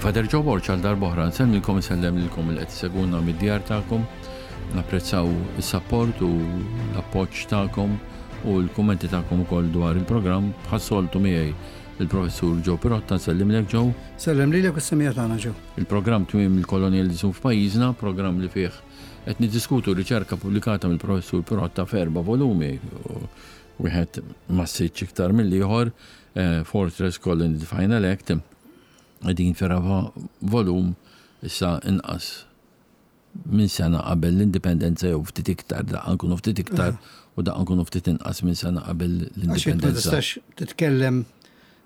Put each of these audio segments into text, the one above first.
Jien Fader Joe Borg għal darb'oħra nsellmilkom insellem lilkom li qed issegwuna mid-djar tagħkom. Napprezzaw is-sapport u l-appoġġ tagħkom u l-kummenti tagħkom ukoll dwar il-programm bħas-soltu miegħi il-Professur Joe Pirotta, nsellimlek Joe. Sellem lilek u s-semija tagħna Joe. Il-programm Tmiem il-Kolonjaliżmu f'pajjiżna, programm li fih qed niddiskutu riċerka pubblikata mill-Professur Pirotta f'erba' volumi, wieħed massiċ iktar mill-ieħor, eh, Fortress Colony the Final Act, qegħdin fir-raba' volum issa inqas minn sena qabel l-indipendenza jew ftit iktar, daqqa nkunu ftit iktar u daqqa nkunu ftit inqas minn sena qabel l-indipendenza. Ma tistax titkellem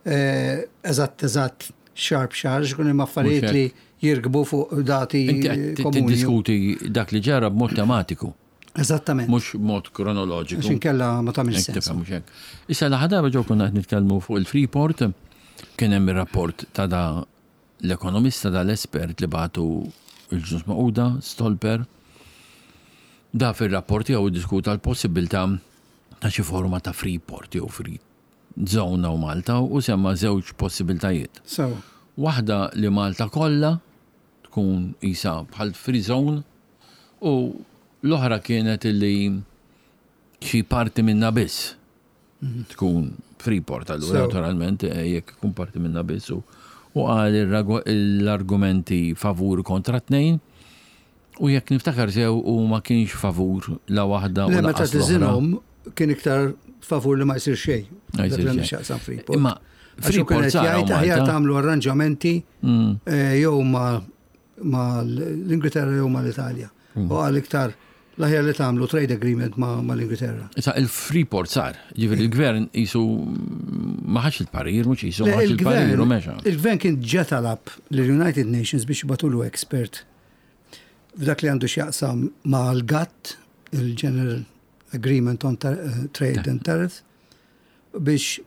eh, eżatt eżatt xahar b'xahar, x'ikun hemm affarijiet li jirkbu fuq dati komuni. Tiddiskuti dak li ġara b'mod tematiku. Eżattament. Mhux mod kronoloġiku. Għax inkella ma tagħmilx sens. Mhux hekk. Issa l-aħħar darba ġew konna qed nitkellmu fuq il-Freeport, kien hemm ir-rapport ta' da l-ekonomista da l-espert li bagħtu il-Ġnus Magħquda, Stolper. Da fir-rapport tiegħu ddiskuta l-possibilità ta' xi forma ta' Freeport jew free zone hawn Malta u semma żewġ possibiltajiet. Sewa. Waħda li Malta kollha tkun qisha bħal free zone u l-oħra kienet illi xi parti minnha biss tkun Freeport allura naturalment eh, jekk ikun parti minnha biss u qal l-argumenti favur kontra tnejn u jekk niftakar sew u ma kienx favur la waħda u Le, meta tiżinhom kien iktar favur li ma jsir xejn. Imma Freeport jgħid aħjar tagħmlu arranġamenti mm. eh, jew ma ma l-Ingilterra jew ma l-Italja. Mm. U għal iktar l-aħjar li tagħmlu trade agreement ma l-Ingilterra. Issa il-Freeport sar, ġifieri il-gvern jisu ma ħax il-parir, mhux jisu ma ħax il-parir u mexa. Il-gvern kien ġa talab lill-United Nations biex jibatulu expert f'dak li għandu x'jaqsam ma' l-GATT, il-General Agreement on eh, Trade and Tariffs, biex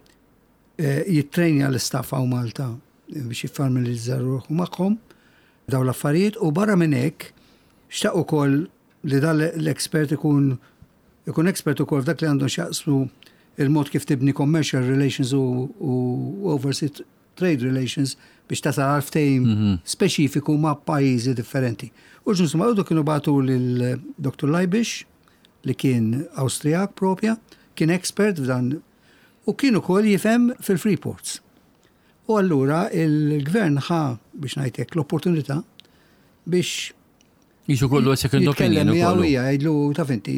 eh, jittrejnja l-istaff hawn Malta eh, biex jiffamilizza ruħu magħhom daw l-affarijiet u barra minn hekk xtaq ukoll li dan l-expert ikun ikun expert ukoll f'dak li għandhom x'jaqsmu il-mod kif tibni commercial relations u, u overseas trade relations biex tasal għal ftehim mm -hmm. speċifiku ma' pajjiżi differenti. U ġnus ma' kienu bagħtu lil Dr. Leibish li kien Awstrijak propja, kien expert f'dan u kien ukoll jifhem fil-Freeports. U allura il-gvern ħa biex ngħidlek l-opportunità biex Jisu kollu second opinion. Jitkellem miegħu hija jgħidlu taf inti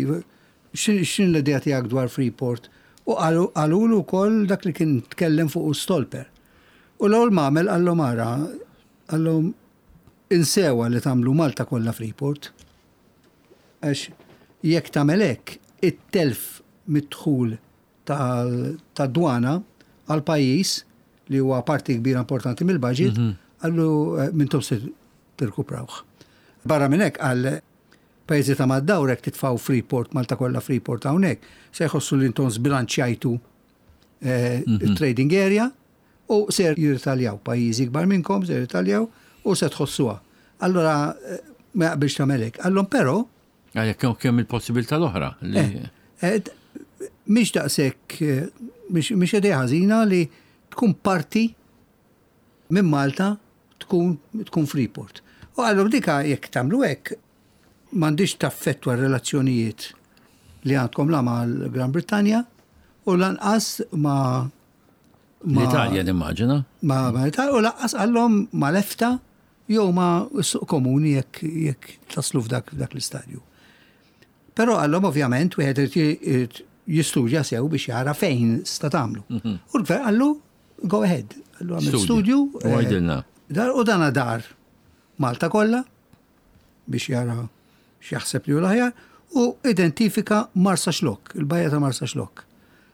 x'in l-idea tiegħek dwar Freeport. U qalulu wkoll dak li kien tkellem fuq Stolper. U l-ewwel m'għamel qallhom ara, qallhom insewa li tagħmlu Malta kollha Freeport. Għax jekk tagħmel hekk, it-telf mid-dħul tad-dwana għall-pajjiż li huwa parti kbira importanti mill-budget, mhm. għallu eh, mintom se tirkuprawh. Barra minn hekk għal pajjiżi ta' mad-dawr hekk titfgħu Freeport, Malta kollha Freeport hawnhekk, se jħossu li intom żbilanċjajtu eh, mhm. trading area u ser jirritaljaw pajjiżi kbar minnkom ser jirritaljaw u se tħossuha. Allora eh, ma jaqbilx tagħmel hekk. Allhom però Għalhekk kemm il-possibilità l-oħra li. Eh, eh, mhix daqshekk eh, mhix idea ħażina li tkun parti minn Malta tkun tkun Freeport. U għallu dika jekk tagħmlu hekk m'għandix taffettwa r-relazzjonijiet li għandkom la mal-Gran Brittanja u lanqas ma' l-Italja nimmaġina. Ma' l-Italja u lanqas għallhom ma' l-EFTA jew ma' s-suq komuni jekk jekk taslu f'dak f'dak l-istadju. Però għallhom ovvjament wieħed irid jistudja sew biex jara fejn sta tagħmlu. Mhm. U l-gvern qallu go ahead, qallu għamel studju. U għajdilna. Eh, u dana dar Malta kollha biex jara x'jaħseb li hu l-aħjar u identifika Marsaxlokk, il-bajja ta' Marsaxlokk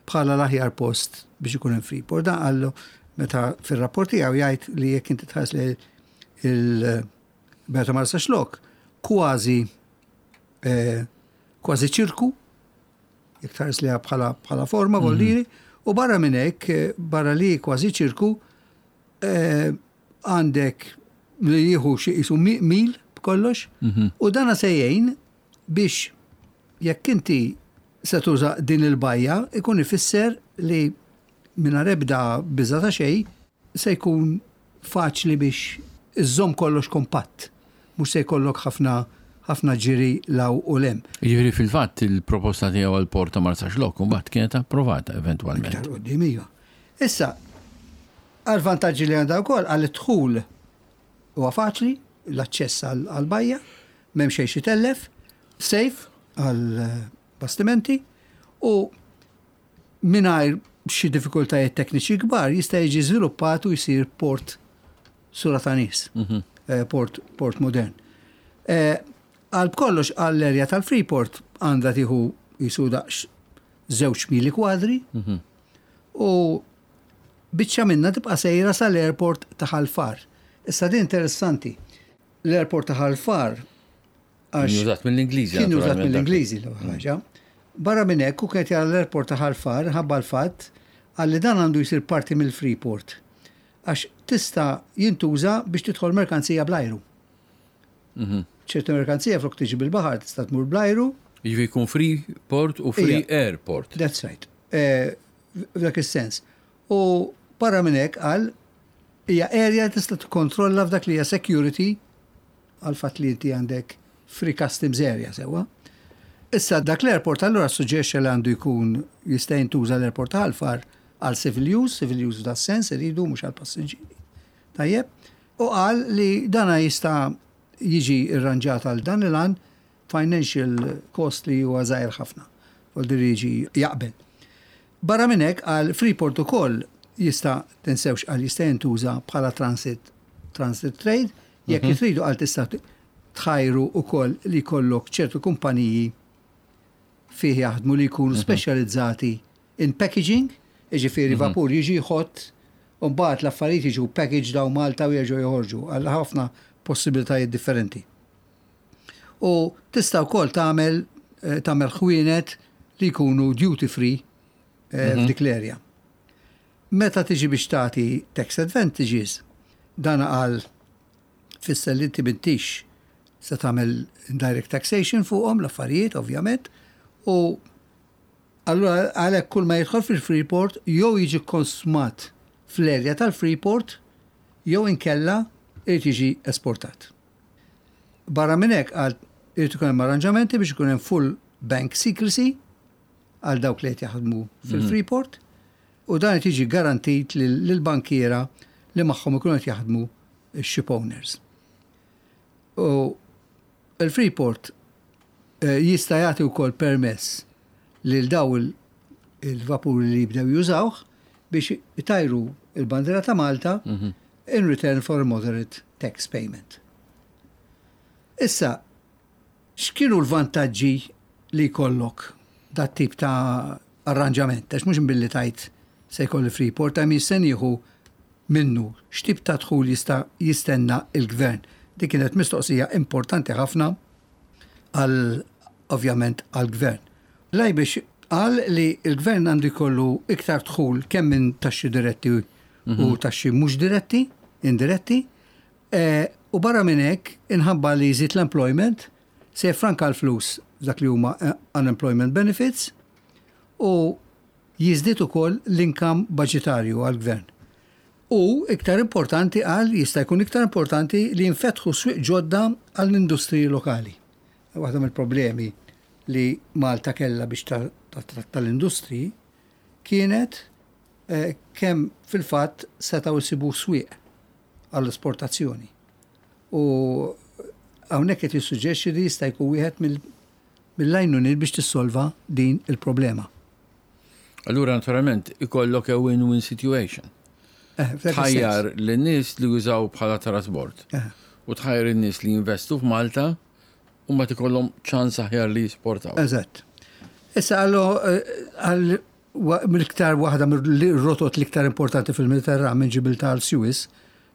bħala l-aħjar post biex ikun hemm Freeport. Dan qallu meta fir-rapport tiegħu jgħid li jekk inti tħares li il-bajja ta' Marsaxlokk kważi eh, kważi ċirku, jekk tħares li bħala bħala forma mm -hmm. u barra minn hekk, eh, barra li kważi ċirku, eh, għandek li jieħu xi qisu mil b'kollox mhm. u dana se jgħin biex jekk inti se tuża din il-bajja ikun ifisser li mingħajr ebda biża ta' xejn se jkun faċli biex iżżomm kollox kompatt. Mhux se jkollok ħafna ħafna ġiri 'l hawn u 'l hemm. Jiġifieri fil-fatt il-proposta tiegħu għall-port ta' Marsaxlokk imbagħad kienet approvata eventwalment. Iktar quddiem iva. Issa, għall-vantaġġi li għandha wkoll għal id-dħul huwa faċli, l-aċċess għall-bajja, m'hemm xejn x'itellef, safe għall-bastimenti u mingħajr xi diffikultajiet tekniċi kbar jista' jiġi żviluppat u jsir port sura ta' nies, mhm. eh, port, port modern. Eh, għal kollox għall-erja tal-Freeport għandha tieħu jisu daqs żewġ mili kwadri mhm. u biċċa minna tibqa' sejra sal-airport ta' Ħal Far. Issa din interessanti. L-airport ta' Ħal Far Kien użat mill-Ingliżi. Kien użat mill-Ingliżi l ħaġa. Barra minn hekk u kienet jara l-airport ta' Ħal Far ħabba l-fatt għalli dan għandu jsir parti mill-Freeport. Għax tista' jintuża biex tidħol merkanzija bl-ajru. Mhm. ċertu merkanzija flok tiġi bil-baħar tista' tmur bl-ajru. Jiġifieri jkun free port u free airport. That's right. Eh, f'dak is-sens. U barra minn hekk qal hija area tista' tikkontrolla f'dak li hija security għal fatt li inti għandek free customs area sewwa. Issa dak l-airport allura suġġerixxa li għandu jkun jista' jintuża l-airport ta' Ħal Far għal civil use, civil use f'da sens iridu mhux għal passiġġieri. Tajjeb, u qal li dana jista' jiġi rranġat għal dan il-għan financial cost li huwa żgħir ħafna. Vuol jiġi jaqbel. Barra minn hekk għal Freeport ukoll jista' tinsewx qal jista' jintuża bħala transit transit trade, jekk mhm. tridu qal tista' tħajru ukoll li jkollok ċertu kumpaniji fih jaħdmu li jkunu mhm. speċjalizzati in packaging, jiġifieri mhm. vapur jiġi jħott u mbagħad l-affarijiet jiġu packaged hawn Malta u jerġgħu joħorġu għal ħafna possibilitajiet differenti. U tista' wkoll tagħmel eh, tagħmel ħwienet li jkunu duty free eh, mhm. f'dik l-area. Meta tiġi biex tagħti tax advantages, dan qal fisser li inti m'intix se tagħmel indirect taxation fuqhom l-affarijiet ovvjament u allura għalhekk kull ma jidħol fil-Freeport jew jiġi konsmat fl-erja tal-Freeport jew inkella irid jiġi esportat. Barra minn hekk qal irid ikun hemm arranġamenti biex ikun hemm full bank secrecy għal dawk li qed jaħdmu fil-Freeport u dan qed jiġi garantit lill-bankiera li magħhom ikunu qed jaħdmu x-ship owners. U il-Freeport eh, jista' jagħti wkoll permess lil daw il-vapuri li jibdew jużawh biex itajru il-bandiera ta' Malta mhm. in return for a moderate tax payment. Issa, x'kienu l-vantaġġi li jkollok dat tip ta' arranġament? Għax mhux billi tajt se jkolli Freeport, hemm jisten jieħu minnu x'tip ta' dħul jista' jistenna il-gvern. Dik kienet mistoqsija importanti ħafna għal ovvjament għall-gvern. Lajbix qal li l-gvern għandu jkollu iktar dħul kemm minn taxxi diretti u mhm. taxxi mhux diretti, indiretti, e, u barra minn hekk inħabba li jżid l-employment se jfranka l-flus dak li huma eh, unemployment benefits u jiżdied ukoll l-income budgetarju għall-gvern. U iktar importanti qal jista' jkun iktar importanti li jinfetħu swieq ġodda għall-industriji lokali. Waħda mill-problemi li Malta kellha biex tattratta l-industriji kienet eh, kemm fil-fatt setgħu jsibu swieq għall-esportazzjoni. U hawnhekk qed jissuġġerixxi li jista' jkun wieħed mill-għajnuniet biex tissolva din il-problema. Allura naturalment ikollok a win-win situation. Eh, tħajjar lin-nies li jużaw bħala trasbord eh. u tħajjar in-nies li jinvestu f'Malta u ma tikollhom ċans aħjar li jisportaw. Eżatt. Issa għallu eh, għal mill-iktar waħda mill-rotot l-iktar importanti fil-Mediterran minn Ġibilta għal Suez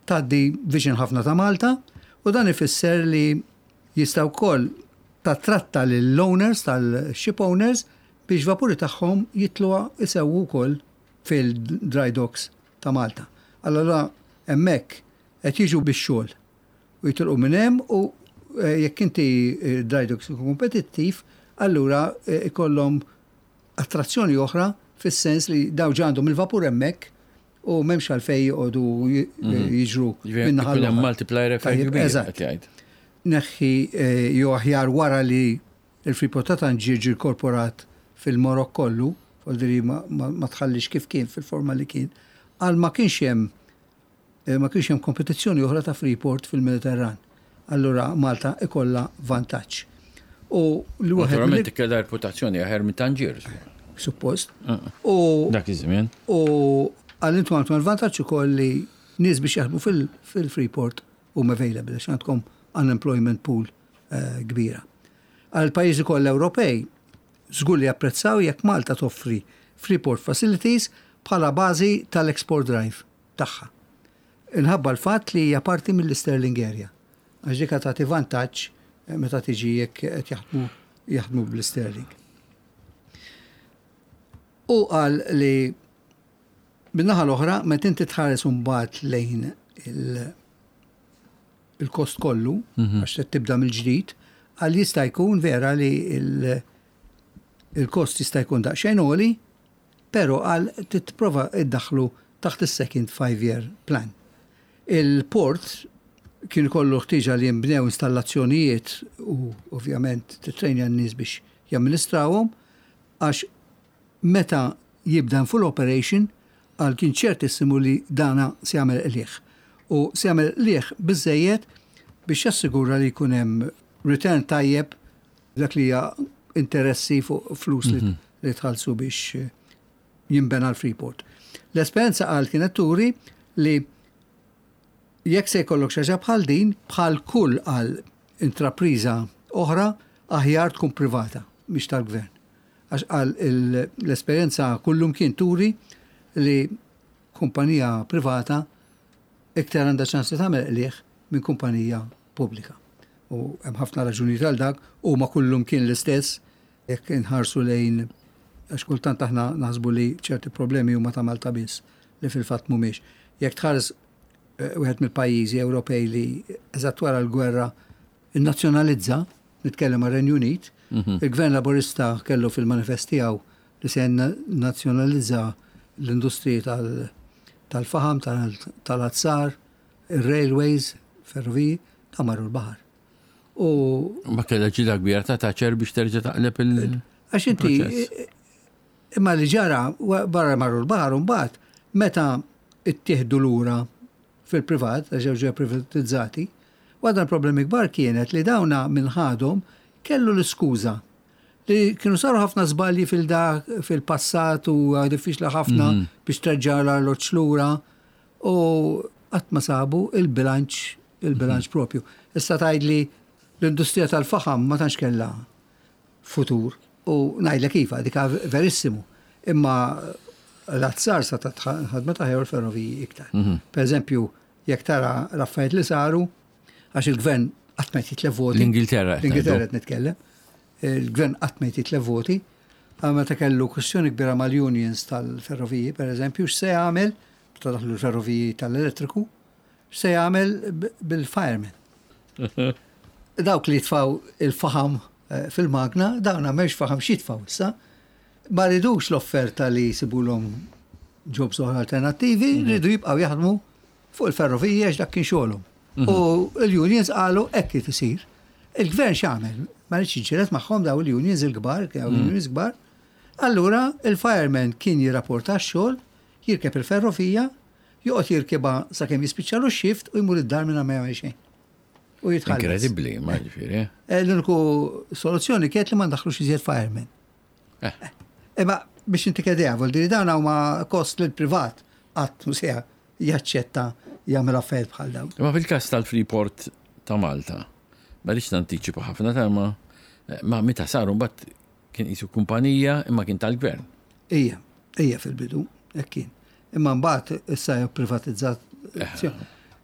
tgħaddi viċin ħafna ta' Malta u dan ifisser li jista' wkoll tattratta lill-owners tal-ship owners biex vapuri tagħhom jitlu isewwu wkoll fil-dry docks ta' Malta. Allora hemmhekk qed jiġu bix-xogħol u jitilqu minn hemm u eh, jekk inti eh, dry docks ikun kompetittiv, allura eh, ikollhom attrazzjoni oħra fis-sens li daw għandhom il-vapur hemmhekk. U m'hemmx għalfejn joqogħdu jiġru min-naħa l-oħra. Multiplier effect kbir. Eżatt. Neħħi jew aħjar wara li l-Freeport ta' Tanġier ġie inkorporat fil-Marokk kollu, vuol ma tħallix kif kien fil-forma li kien, għal ma kienx hemm ma kienx hemm kompetizzjoni oħra ta' Freeport fil-Mediterran. Allura Malta ikollha vantaġġ. U li wieħed. Naturalment kellha reputazzjoni aħjar minn Tanġier. Suppost. U dak iż-żmien. U għal intom għandkom il-vantaġġ ukoll li nies biex jaħdmu fil-Freeport huma available għax għandkom unemployment pool kbira. Għal pajjiżi kollha Ewropej żgur li japprezzaw jekk Malta toffri Freeport facilities bħala bażi tal-export drive tagħha. Inħabba l-fatt li hija parti mill-Sterling Area. Għax dik tagħti vantaġġ meta tiġi jekk qed jaħdmu jaħdmu bl-Sterling. U qal li min-naħa l-oħra meta inti tħares imbagħad lejn il-kost kollu, għax se tibda mill-ġdid, għal jista' jkun vera li il-kost jista' jkun daqsxejn għoli, pero għal titprova iddaħlu taħt is-second five-year plan. Il-port kien kollu ħtieġa li jinbnew installazzjonijiet u ovvjament titrejnja n-nies biex jamministrawhom għax meta jibda full operation għal kien ċertissimu li dana se jagħmel qligħ. U se jagħmel qligħ biżejjed biex jassigura li jkun hemm return tajjeb dak li hija interessi fuq flus li li tħallsu biex jinbena l-Freeport. L-esperjenza qal kienet turi li jekk se jkollok xi ħaġa bħal din, bħal kull għal intrapriża oħra, aħjar tkun privata, mhix tal-gvern. Għax qal l-esperjenza kullum kien turi li kumpanija privata iktar għandha ċans li tagħmel qligħ minn kumpanija pubblika. U hemm ħafna raġunijiet għal dak, huma kullum kien l-istess jekk inħarsu lejn għax kultant aħna naħsbu li ċerti problemi huma ta' Malta biss li fil-fatt mhumiex. Jekk tħares wieħed mill-pajjiżi Ewropej li eżatt wara l-gwerra innazzjonalizza, nitkellem għar-Renju Unit, il-Gvern Laburista kellu fil-manifest tiegħu li se nazzjonalizza l-industriji tal-faħam, tal-azzar, il-railways, ferroviji, ta' marru l-baħar. U Ma kellha ġida kbira ta' Thatcher biex terġa' taqleb il- Għax inti, imma li ġara, barra marru l-baħar, mbagħad meta ittieħdu lura fil-privat, għax ġew privatizzati, waħda problemi kbar kienet li dawna minn ħadhom kellu l-iskuża li kienu saru ħafna żbalji fil-dak fil-passat u diffiċli ħafna biex terġa' l-arloġġ lura u qatt ma sabu il-bilanċ il-bilanċ propju. Issa tgħidli l-industrija tal-faħam ma tantx kellha futur u ngħidlek iva dik verissimu. Imma l-azzar sa ta' ħadmet aħjar l-ferroviji iktar. Per eżempju, jekk tara l-affarijiet li saru, għax il-gvern qatt ma jitlef voti. L-Ingilterra. L-Ingilterra qed nitkellem. Il-gvern qatt ma jitlef voti. Għal meta kellu kwestjoni kbira mal-unions tal-ferroviji, per eżempju, x'se jagħmel, meta daħlu l-ferroviji tal-elettriku, x'se jagħmel bil-firemen. Dawk li jitfaw il-faħam fil-magna, dawn m'hemmx faħam x'jitfaw issa. Ma ridux l-offerta li jsibulhom jobs oħra alternattivi, ridu jibqgħu jaħdmu fuq il-ferrovija għax dak kien xogħolhom. U l-unions qalu hekk kif isir. Il-gvern x'għamel? Ma rridx jiġġieled magħhom daw il-unions il-kbar, kienu unions kbar. Allura il-fireman kien jirrapporta x-xogħol, jirkeb il-ferrovija, joqgħod jirkibha sakemm jispiċċalu x-shift u jmur id-dar minn ma jagħmel xejn. U jitħallas. Inkredibbli, ma ġifieri. L-uniku soluzzjoni kienet li ma ndaħlux iżjed fireman. Imma biex inti kedea, vuol dire dawn huma kost lil privat qatt mhu se jaċċetta jagħmel affarijiet bħal dawn. Imma fil-każ tal-Freeport ta' Malta, ma rridx nantiċipa ħafna ta' ma ma meta saru mbagħad kien qisu kumpanija imma kien tal-gvern. Ija, ija fil-bidu, hekk kien. Imma mbagħad issa hija privatizzat.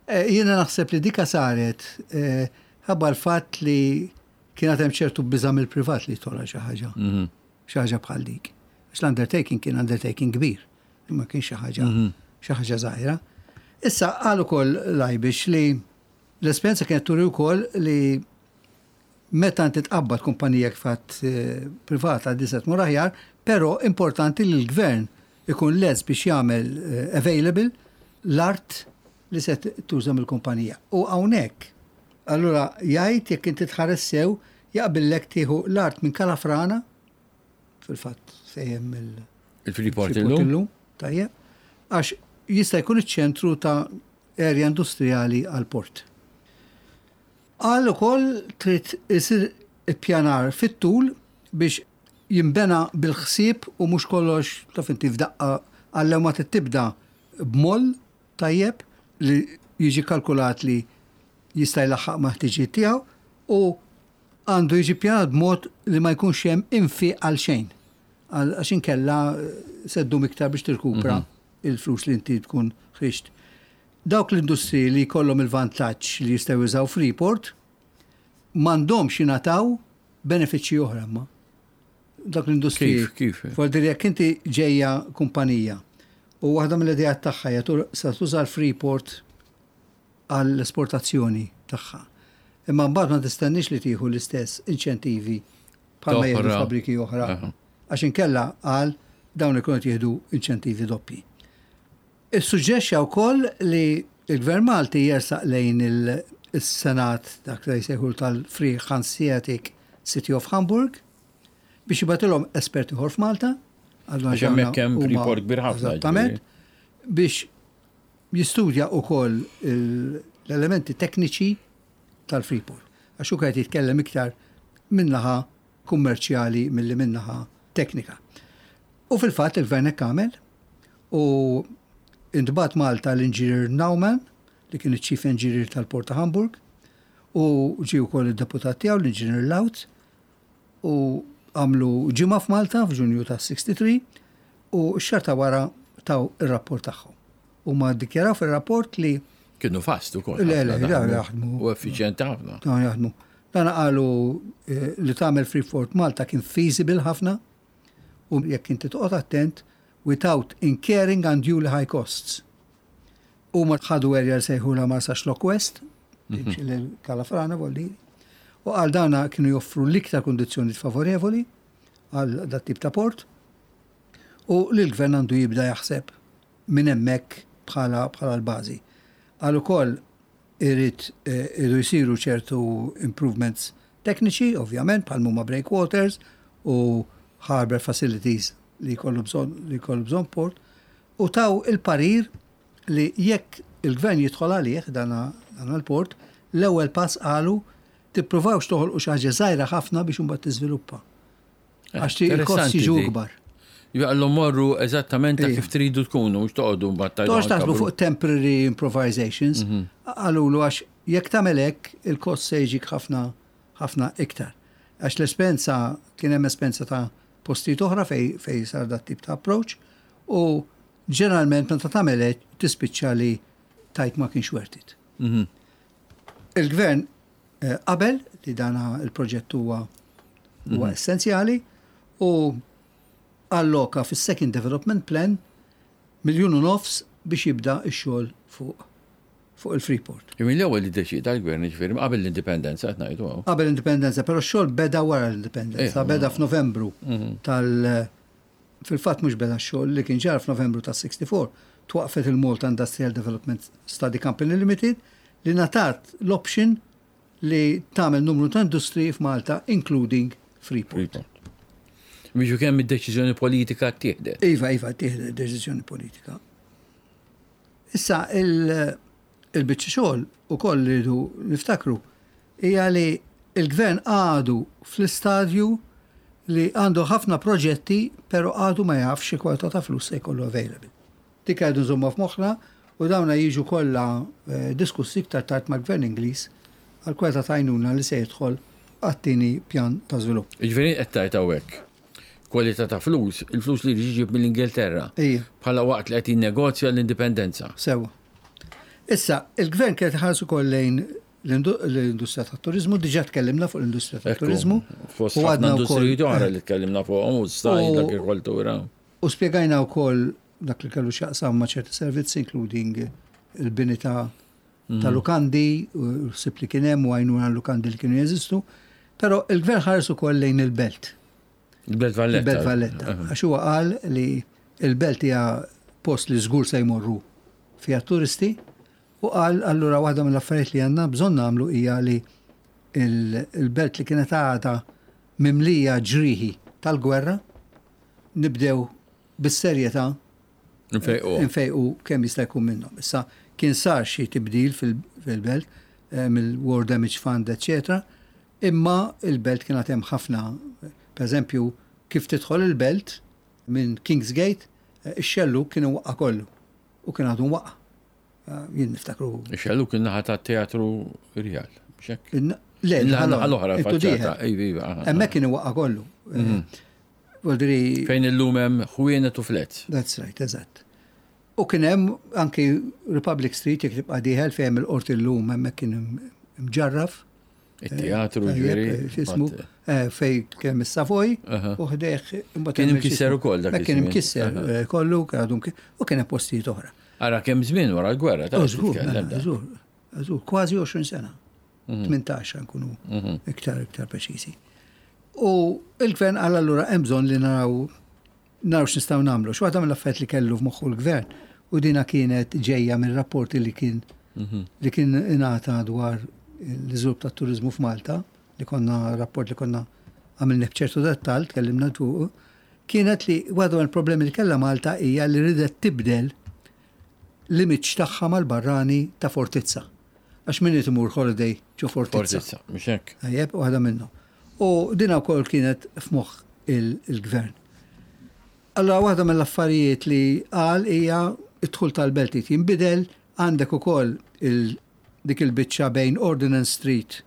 Jiena naħseb li dika saret ħabba l-fatt li kien hemm ċertu biża' mill-privat li tola xi ħaġa. Xi ħaġa bħal dik. Għax l-undertaking kien undertaking kbir, imma kien xi ħaġa xi ħaġa żgħira. Issa qal ukoll Lajbix li l-esperjenza kienet turi wkoll li meta inti tqabbad kumpanija kif għedt privata di se tmur aħjar, però importanti li l-gvern ikun lest biex jagħmel available l-art li se tuża mill-kumpanija. U hawnhekk, allura jgħid jekk inti tħares sew jaqbillek tieħu l-art minn Kalafrana, fil-fatt fejn hemm il- Il-Freeport illum. illum, tajjeb, għax jista' jkun iċ-ċentru ta' area industrijali għall-port. Qal ukoll trid isir ippjanar fit-tul biex jinbena bil-ħsieb u mhux kollox taf inti f'daqqa għal ma trid tibda b'moll tajjeb li jiġi kalkulat li jista' jlaħħaq mal-ħtiġijiet tiegħu u għandu jiġi ppjanat b'mod li ma jkunx hemm infiq għal xejn għax inkella se ddum iktar biex tirkupra il-flus li inti tkun ħriġt. Dawk l-industriji li jkollhom il-vantaġġ li jistgħu jużaw Freeport m'għandhomx jingħataw benefiċċji oħra imma. Dawk l-industriji. Kif, kif? Vuol dire jekk inti ġejja kumpanija u waħda mill-idejat tagħha hija se tuża l-Freeport għall-esportazzjoni tagħha. Imma mbagħad ma tistenniex li tieħu l-istess inċentivi bħalma jieħdu fabbriki oħra. Għax inkella qal dawn ikunu qed jieħdu inċentivi doppji. Issuġġerixxa wkoll li l-Gvern Malti jersaq lejn is-Senat dak li jsejħulu tal-Free Hanseatic City of Hamburg biex jibgħatilhom espert ieħor f'Malta. Għax hemmhekk hemm Freeport kbir ħafna. Eżattament. Biex jistudja wkoll l-elementi tekniċi tal-Freeport. Għax hu qed jitkellem iktar min-naħa kummerċjali milli min-naħa teknika. U fil-fatt il-Gvern hekk għamel u intbagħat Malta l-Inġinier Naumann li kien iċ-Chief Engineer tal-Port ta' Hamburg u ġie wkoll id-deputat tiegħu l-Inġinier Laut u għamlu ġimgħa f'Malta f'Ġunju ta' 63 u x-xahar ta' wara taw ir-rapport tagħhom. Huma ddikjaraw fir-rapport li Kienu fast ukoll. Le, le, jaħdmu. U effiċjenti ħafna. Jaħdmu. Dan qalu li tagħmel Freeport Malta kien feasible ħafna u jekk inti toqgħod attent without incurring unduly high costs. Huma ħadu area li sejħulha Marsaxlokk West, timxi lil Kalafrana vuol dire, u qal dana kienu joffru l-iktar kundizzjonijiet favorevoli għal dat tip ta' port u li l-gvern għandu jibda jaħseb minn hemmhekk bħala bħala l-bażi. Qal ukoll irid iridu jsiru ċertu improvements tekniċi, ovvjament, bħal huma breakwaters u harbor facilities li jkollu bżonn li jkollu bżonn port, u taw il-parir li jekk il-gvern jidħol għalih dan il-port, l-ewwel pass qalu tippruvawx toħolqu xi ħaġa żgħira ħafna biex imbagħad tiżviluppa. Għax il-kost jiġu ikbar. Jgħallu morru eżattament ta' kif tridu tkunu, mhux toqgħodu mbagħad tajdu. Toqgħodx taħsbu fuq temporary improvisations, qalulu għax jekk tagħmel hekk il-kost se jiġik ħafna ħafna iktar. Għax l-espenza kien hemm espenza ta' postijiet oħra fej fej sar dat tip ta' approach u ġeneralment meta tagħmel hekk tispiċċa li tajt ma kienx worth it. Il-gvern qabel li dana il-proġett huwa huwa essenzjali u alloka fis-second development plan 1.5 miljun biex jibda x-xogħol fuq fuq il-Freeport. Min l-ewwel li ddeċieda l-gvern, jiġifieri qabel l-indipendenza qed ngħidu hawn. Qabel l-indipendenza, però x-xogħol beda wara l-indipendenza, beda f'Novembru tal- fil-fatt mhux beda x-xogħol li kien ġara f'Novembru tas-64, twaqqfet il-Malta Industrial Development Study Company Limited li ngħatat l-option li tagħmel numru ta' industriji f'Malta including Freeport. Freeport. Biex kemm id-deċiżjoni politika ttieħdet. Iva, iva, ttieħdet deċiżjoni politika. Issa il-biċċa xogħol ukoll li rridu niftakru hija li il-gvern għadu fl-istadju li għandu ħafna proġetti pero għadu ma jafx xi kwalità ta' flus se jkollu available. Dik għadu nżomma f'moħħna u dawna jiġu kollha diskussi iktar tard mal-gvern Ingliż għal kwalità ta' għajnuna li se jidħol għat-tieni pjan ta' żvilupp. Jiġifieri qed tgħid hawnhekk kwalità ta' flus, il-flus li jrid iġib mill-Ingilterra. Ija. Bħala waqt li qed jinnegozja l-indipendenza. Sewwa. Issa, il-gvern kien qed iħares ukoll lejn l-industrija tat-turiżmu, diġà tkellimna fuq l-industrija tat-turiżmu. Fost ħafna industriji oħra li tkellimna fuqhom, u s-sajd, l-agrikoltura. U spjegajna wkoll dak li kellu x'jaqsam ma' ċerti servizzi, including il-bini ta' ta' lukandi, u ħsieb li kien hemm u għajnuna l-lukandi li kienu jeżistu. Però il-gvern ħares ukoll lejn il-belt. Il-Belt Valletta. Il-Belt Valletta. Għax huwa qal li Il-belt hija post li żgur se jmorru fiha turisti u qal allura waħda mill-affarijiet li għandna bżonn nagħmlu hija li il-belt li kienet għadha mimlija ġrieħi tal-gwerra nibdew bis-serjetà Nfejqu kemm jista' jkun minnhom. Issa kien sar xi tibdil fil-belt eh, mill-War Damage Fund, eċċetera, imma il-belt kien hemm ħafna, per eżempju, kif tidħol il-belt minn Kingsgate, eh, ix-xellu kien waqqa kollu u kien għadu waqqa. Eh, jien niftakru. Ix-xellu kien naħa ta' teatru Rjal, xek? Le, naħa l-oħra, faċċata. Hemmhekk kien waqqa kollu. Mhm. Fejn illum hemm ħwienet u flets. That's right, eżatt. U kien hemm anki Republic Street jekk tibqa' dieħel fejn hemm il-qorti llum hemmhekk kien mġarraf. Il-teatru ġifieri. Eh, x'ismu eh, fej kien is-Savoy u ħdejh imbagħad kien imkisser ukoll dak. Kien imkisser eh, kollu u kien hemm postijiet oħra. Ara kemm żmien wara l-gwerra ta' mela, żgur, żgur, kważi 20 sena. 18 nkunu mhm. iktar iktar preċiżi. U il-gvern għal allura hemm bżonn li naraw naraw x'nistgħu nagħmlu. X'waħda mill-affarijiet li kellu f'moħħu l-gvern u dina kienet ġejja mir-rapporti li kien mhm. li kien ingħata dwar l-iżvilupp tat-turiżmu f'Malta, li konna rapport li konna għamilni b'ċertu dettal, tkellimna fuq, kienet li waħda mill-problemi li kellha Malta hija li ridet tibdel l-image tagħha mal-barrani ta' fortizza. Għax min irid imur holiday ġo fortizza. Fortizza, mhux hekk. Tajjeb, waħda minnhom. U din wkoll kienet f'moħħ il-gvern. Allora waħda mill-affarijiet li qal hija d-dħul tal-belt irid jinbidel, għandek ukoll dik il-biċċa bejn Ordinance Street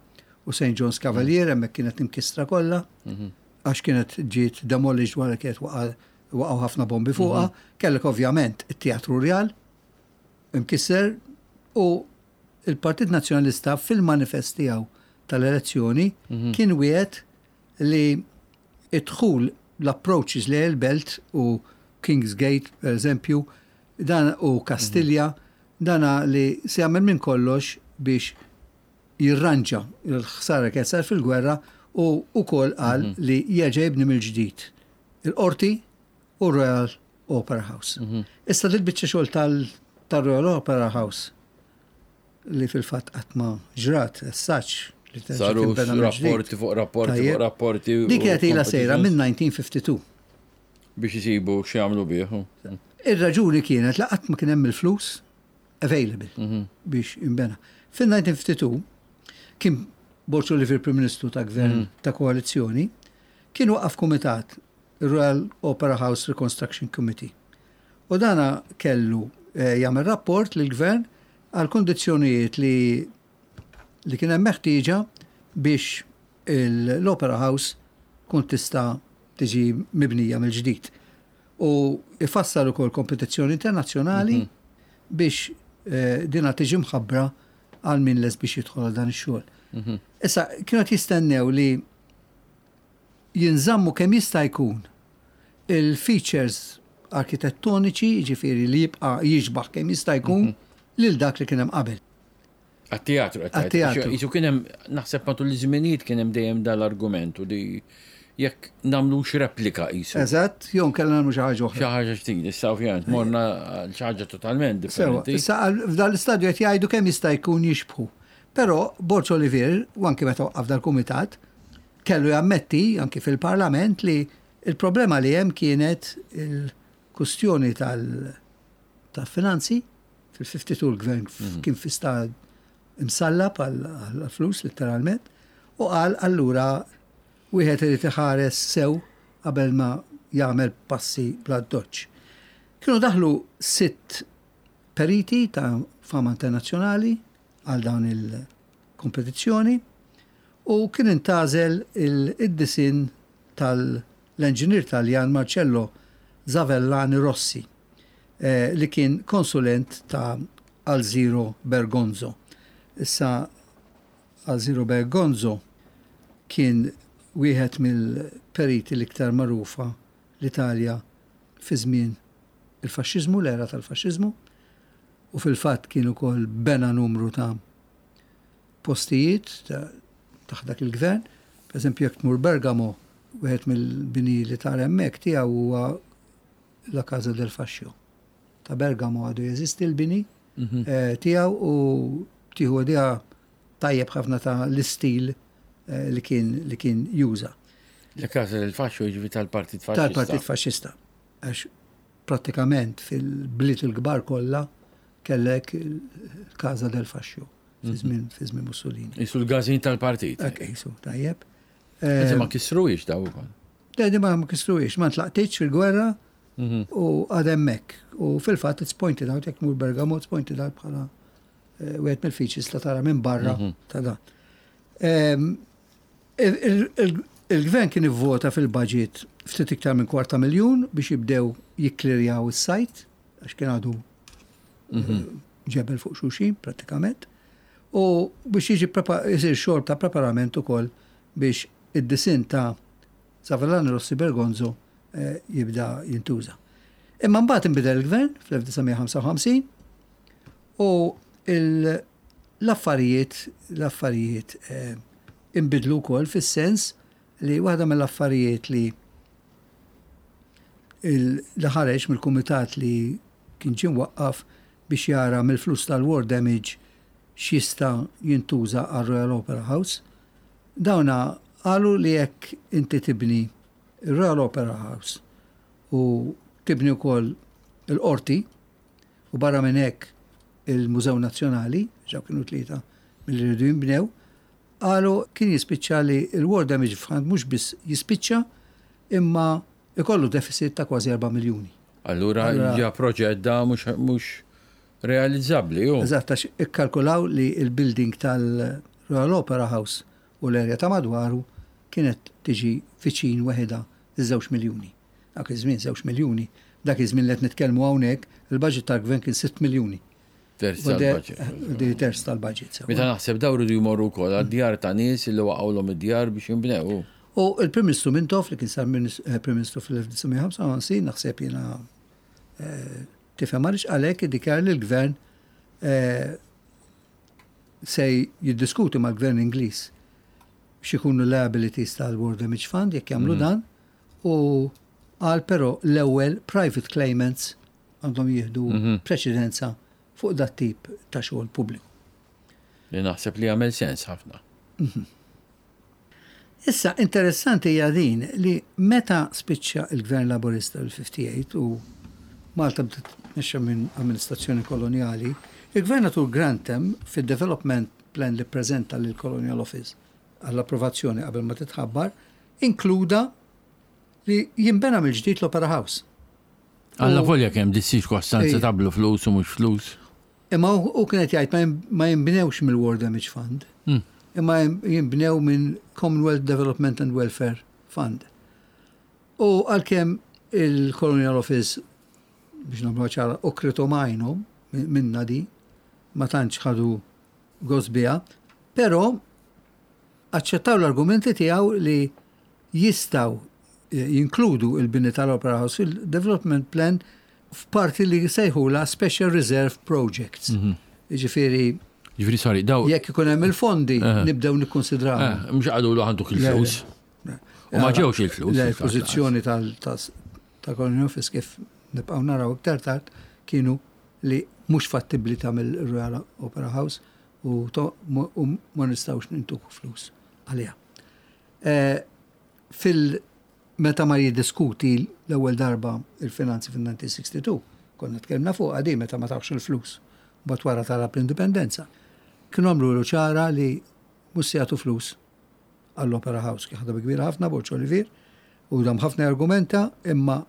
u St. John's Cavalier, hemmhekk kienet imkissra kollha, mhm. għax kienet ġiet demolished wara kienet waqgħu ħafna bombi fuqha, mhm. kellek ovvjament it-Teatru Rjal, imkisser u il-Partit Nazzjonalista fil-manifest tiegħu tal-elezzjoni mhm. kien wiegħed li id-dħul l-approaches li il-belt u Kings Gate, per eżempju, dan u Kastilja, mhm. dana li se jagħmel minn kollox biex jirranġa l-ħsara kienet sar fil-gwerra u wkoll qal mhm. li jerġa' jibni mill-ġdid il-qorti u Royal Opera House. Mhm. Issa dil biċċa xogħol tal-Royal Opera House li fil-fatt qatt ma ġrat, as such li Saru rapporti fuq rapporti fuq rapporti. Dik kienet ilha sejra minn 1952. Biex isibu x'jagħmlu bih. Ir-raġuni kienet li qatt ma kien hemm il-flus available mhm. biex imbena. Fil-1952 kien Borg Olivier Prim Ministru ta' Gvern mhm. ta' koalizzjoni kien waqaf kumitat Royal Opera House Reconstruction Committee. U dana kellu eh, jagħmel rapport lill-gvern għal kondizzjonijiet li li kien hemm meħtieġa biex l-Opera House tkun tista' tiġi mibnija mill-ġdid. U ifassal ukoll kompetizzjoni internazzjonali mhm. biex eh, dina tiġi mħabbra għal min les biex jidħol għal dan ix-xogħol. Mhm. Issa kienu jistennew li jinżammu kemm jista' jkun il-features arkitettoniċi, jiġifieri li jibqa' jixbah kemm jista' jkun lil dak li kien hemm qabel. Għat-teatru qed tgħid. Għat-teatru. Qisu kien hemm, naħseb matul iż-żminijiet kien hemm dejjem dal-argument u li jekk nagħmlux replika qisu. Eżatt, jew inkella nagħmlu xi ħaġa oħra. Xi ħaġa ġdida, issa ovvjament morna għal xi ħaġa totalment differenti. Sewa, issa f'dan l-istadju qed jgħidu kemm jista' jkun jixbħu. Però Borg Olivier, u anki meta waqqaf dal-kumitat, kellu jammetti anki fil-Parlament li l-problema li hemm kienet il-kustjoni tal-finanzi, fil-52 l-gvern mhm. kien fi stat imsallab għal-flus letteralment, u qal allura wieħed irid iħares sew qabel ma jagħmel passi bla doċ. Kienu daħlu sitt periti ta' fama internazzjonali għal dawn il-kompetizzjoni u kien intgħażel id-disinn tal-enġinier Taljan Marcello Zavellani Rossi li kien konsulent ta' Alziro Bergonzo. Issa Alziro Bergonzo kien wieħed mill-periti l-iktar magħrufa l-Italja fi żmien il-faxxiżmu, l-era tal-faxxiżmu, u fil-fatt kien ukoll bena numru ta' postijiet taħt dak il-gvern. Per eżempju, jekk tmur Bergamo, wieħed mill-bini li tara hemmhekk tiegħu huwa La Casa del Fascio. Ta' Bergamo għadu jeżisti l-bini mhm. eh, tiegħu u tieħu idea tajjeb ħafna ta' l-istil eh, li kien li kien juża. La Casa del Fascio jiġifieri tal-Partit Faxxista. Tal-Partit Faxxista. Għax prattikament fil-bliet il-kbar kollha kellek il-Casa del Fascio fi żmien fi żmien Mussolini. Isu l-gazin tal-partit. Hekk isu, tajjeb. Inti ma kisruhiex daw ukoll. Le, di ma kisruhiex, ma ntlaqtitx fil-gwerra mhm. u għad hemmhekk. U fil-fatt it's pointed out, jekk mur Bergamo, it's pointed out bħala eh, wieħed mill-features ta' tara minn barra mhm. ta' dan. Ehm, il-gvern kien ivvota fil-budget ftit iktar minn kwarta miljun biex jibdew jikklirjaw is-sajt, għax kien għadu mhm. ġebel fuq xulxin prattikament, u biex jiġi jsir xogħol ta' preparament ukoll biex id-disinn ta' Savellano Rossi Bergonzo eh, jibda jintuża. Imma mbagħad inbidel il-gvern fl-1955 u l-affarijiet l-affarijiet eh, inbidlu wkoll fis-sens li waħda mill-affarijiet li li ħareġ mill-kumitat li kien ġie mwaqqaf biex jara mill-flus tal-war damage x'jista' jintuża għar-Royal Opera House. Dawna qalu li jekk inti tibni r-Royal Opera House u tibni wkoll il-qorti u barra minn hekk il-Mużew Nazzjonali, ġaw kienu tlieta milli rridu jinbnew, qalu kien jispiċċa li l-War Damage Fund mhux biss jispiċċa imma ikollu deficit ta' kważi 4 miljuni. Allura ġa proġett da mhux realizzabbli hu. Eżatt, għax ikkalkulaw li l-building tal-Royal Opera House u l-area ta' madwaru kienet tiġi viċin weħidha ż-żewġ miljuni. Dak iż-żmien żewġ miljuni, dak iż-żmien li qed nitkellmu hawnhekk, il-budget tal-gvern kien 6 miljuni. Terz tal-budget. Di terz tal-budget. Meta naħseb dawn iridu jmorru wkoll għad-djar ta' nies li waqgħulhom id-djar biex jinbnew. U l-Prim Ministru Mintoff li kien sar eh, Prim Ministru fl-1955 naħseb jiena eh, tifhem għaliex għalhekk iddikjar li l-gvern eh, se jiddiskuti mal-gvern Ingliż x'ikunu liabilities tal-War Damage Fund jekk jagħmlu mhm. dan u qal però l-ewwel private claimants għandhom jieħdu mhm. preċedenza fuq dat tip ta' xogħol pubbliku. Li naħseb li jagħmel sens ħafna. Mhm. Issa, interessanti hija din li meta spiċċa il-Gvern Laburista l-58 u Malta bdiet tmexxa minn amministrazzjoni kolonjali, il-Gvernatur Grantham fid-development plan li ppreżenta lill-Colonial Office għall-approvazzjoni qabel ma titħabbar, inkluda li jinbena mill-ġdid l-Opera House. Alla volja kemm di ċirkostanza tablu flus u mhux flus. Imma hu kien qed jgħid ma jinbnewx mill-War Damage Fund, hmm. imma jinbnew minn Commonwealth Development and Welfare Fund. U għalkemm il-Colonial Office biex nagħmlu ċara u kritomajnhom minna di ma tantx ħadu gost biha, però aċċettaw l-argumenti tiegħu li jistgħu jinkludu l-bini tal-Opera House fil-Development Plan f'parti li jsejħulha Special Reserve Projects. Mhm. Jiġifieri Ġifieri sorry, daw. Jekk ikun hemm il-fondi, eh. nibdew nikkonsidraw. Eh, mhux qagħdu lu għanduk il-flus. U ma ġewx il-flus. Le, il-pożizzjoni tal-Colonial Office kif nibqgħu naraw iktar tard kienu li mhux fattibbli tagħmel Royal Opera House u ma nistgħux nintuku flus għaliha. Eh, fil meta mar jiddiskuti l-ewwel darba il-finanzi fin-1962, konna tkellimna fuqha di meta ma tawx il-flus, mbagħad wara talab l-indipendenza. Kienu għamlulu ċara li mhux se jagħtu flus għall-Opera House, kien ħadha bi kbira ħafna Borg Olivier u dam ħafna jargumenta imma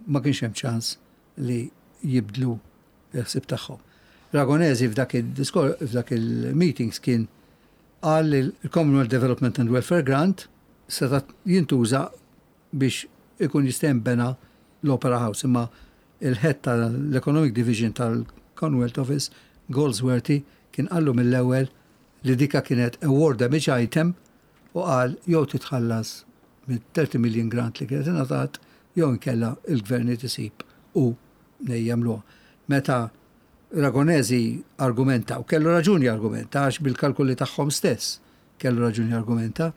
ma kienx hemm ċans li jibdlu l-ħsieb tagħhom. Ragonesi f'dak il-diskor f'dak il-meetings kien Qal li l-Commonwealth Development and Welfare Grant seta' jintuża biex ikun jista' jinbena l-Opera House imma il-Head tal-Economic Division tal-Commonwealth Office, Goldsworthy, kien qallu mill-ewwel li dika kienet a war damage item u qal jew titħallas mit-30 million grant li kienet ingħatat jew inkella l-Gvern irid isib hu mnejn jagħmluha. Meta Ragonesi argumenta, u kellu raġun jargumenta għax bil-kalkoli tagħhom stess kellu raġun jargumenta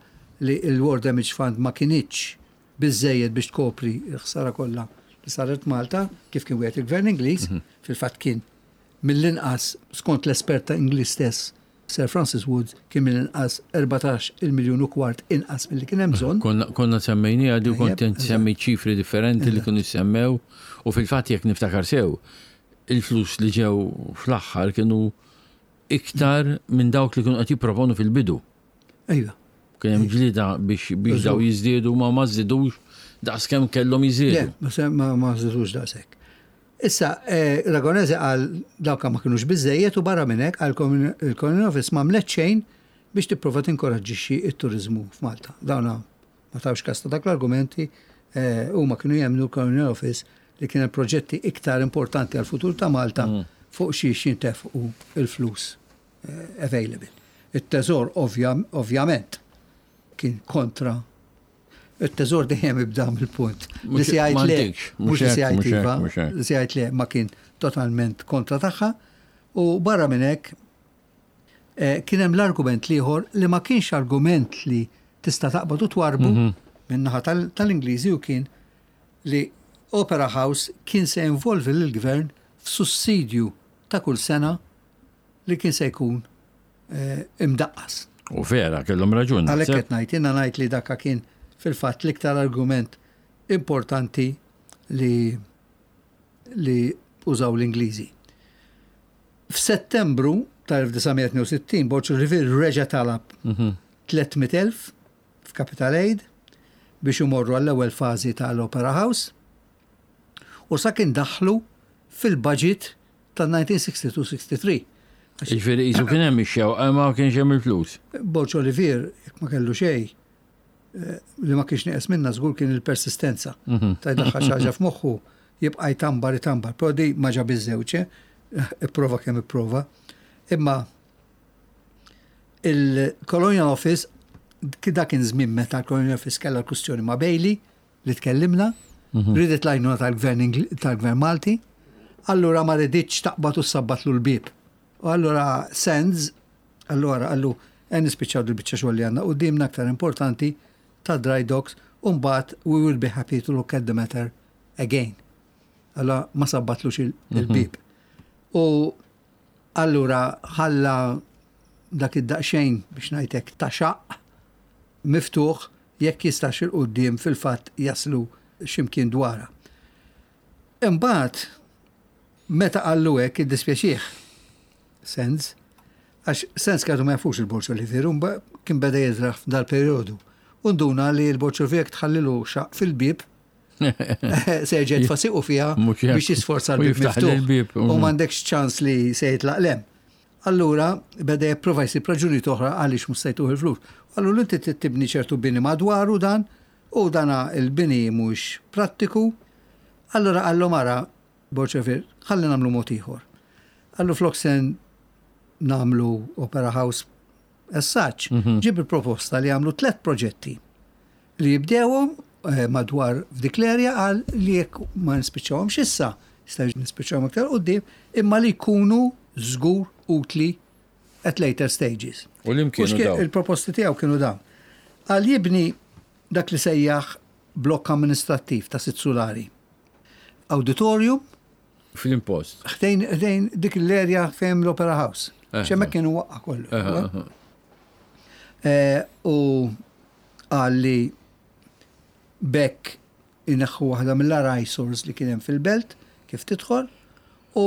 li l-War Damage Fund ma kinitx biżżejjed biex tkopri l-ħsara kollha li saret Malta kif kien wieħed il-Gvern Ingliż, fil-fatt kien mill-inqas skont l-espert ta' Ingliż stess Sir Francis Woods kien mill-inqas 14 il-miljun u kwart inqas milli kien hemm bżonn. Konna semmejniha di u kont semmi ċifri differenti li kienu semmew u fil-fatt jekk niftakar sew il-flus li ġew fl-aħħar kienu iktar minn dawk li kienu qed jipproponu fil-bidu. Ejja. Kien hemm ġlieda biex biex daw jiżdiedu ma ma żdidux daqskemm kellhom jiżdiedu. Le, ma żdidux daqshekk. Issa, eh, Ragonese qal dawk ma kinux biżejjed u barra minn hekk qal il-Colonial Office ma għamlet xejn biex tipprova tinkoraġġixxi t-turiżmu f'Malta. Dawna ma tawx kas ta' dak l-argumenti, eh, huma kienu jemmnu l-Colonial Office li kien hemm proġetti iktar importanti għal-futur ta' Malta fuq xiex jintefqu il-flus eh, available. It-teżor ovvjament kien kontra it-teżor dejjem ibda mill-punt. Li se jgħid le, mhux li se jgħid iva, li se jgħid le ma kien totalment kontra tagħha. U barra minn hekk eh, kien hemm l-argument l-ieħor li ma kienx argument li tista' taqbad u twarbu mhm. min-naħa tal-Ingliżi u kien li Opera House kien se involvi lill-gvern f'sussidju ta' kull sena li kien se jkun eh, imdaqqas. U vera, kellhom raġun. Għalhekk qed ngħid, jiena ngħid li dakka kien fil-fatt l-iktar argument importanti li li użaw l-Ingliżi. F'Settembru tal-1962 Borg Olivier reġa' talab 300,000 mhm. f'Capital Aid biex imorru għall-ewwel fażi tal-Opera House u sa kien daħlu fil-budget tal-1962-63. Ġifieri qisu kien hemm ix-xewqa ma kienx hemm il-flus. Borg Olivier, jekk ma kellu xejn, eh, li ma kienx nieqes minna żgur kien il-persistenza. Mhm. Ta' jdaħħal xi ħaġa f'moħħu jibqa' jtambar itambar. Però di ma ġab iż-żewġ, eh? ipprova kemm ipprova. Imma il-Colonial Office dak kien żmien meta l-Colonial Office kellha l-kwistjoni ma' Bailey li tkellimna, mhm. ridet l-għajnuna tal-gvern tal-gvern Malti, allura ma riditx taqbad u sabbatlu l-bib. U allura Sands, allura għallu għen nispiċċaw dil-biċċa xogħol li għandna qudiemna aktar importanti ta' dry docks u mbagħad we will be happy to look at the matter again. Allora ma sabbatlux mhm. il-bib. U allura ħalla dak id-daqxejn biex ngħidlek ta' xaq miftuħ jekk jistax 'il quddiem fil-fatt jaslu xi mkien dwarha. Imbagħad meta qallu hekk iddispjaċih Sands, għax Sands kienu ma jafux il-Borg Olivier, kien beda jiżraħ f'dal-perjodu. U nduna li l-Borg Olivier tħallilu xaq fil-bieb se jerġa' jitfa' siequ fiha biex jisforza l-bieb miftuħ. U m'għandekx ċans li se jitlaq lem. Allura beda jipprova jsib raġunijiet oħra għaliex mhux se jtuh il-flus. Allura inti trid tibni ċertu bini madwaru dan u dana il-bini mhux prattiku. Allura qallu mara Borċevir, ħalli nagħmlu mod ieħor. Qallu flok se nagħmlu Opera House as such, mhm. ġib il-proposta li għamlu tlet proġetti li jibdewhom eh, madwar f'dik l-erja għal li jekk ma nispiċċawhomx issa, jista' nispiċċawhom aktar quddiem, imma li jkunu żgur utli at later stages. U li kienu dawn? Il-proposti tiegħu kienu dawn. Għal jibni dak li sejjaħ blokk amministrattiv ta' sitt sulari. Auditorium. Fl-impost. Ħdejn ħdejn dik l-erja fejn l-Opera House. Eh, Xemmek eh. kienu waqqa kollu. Eh, u qal li b'hekk ineħħu waħda mill-agħar eyesores li kien hemm fil-belt kif tidħol u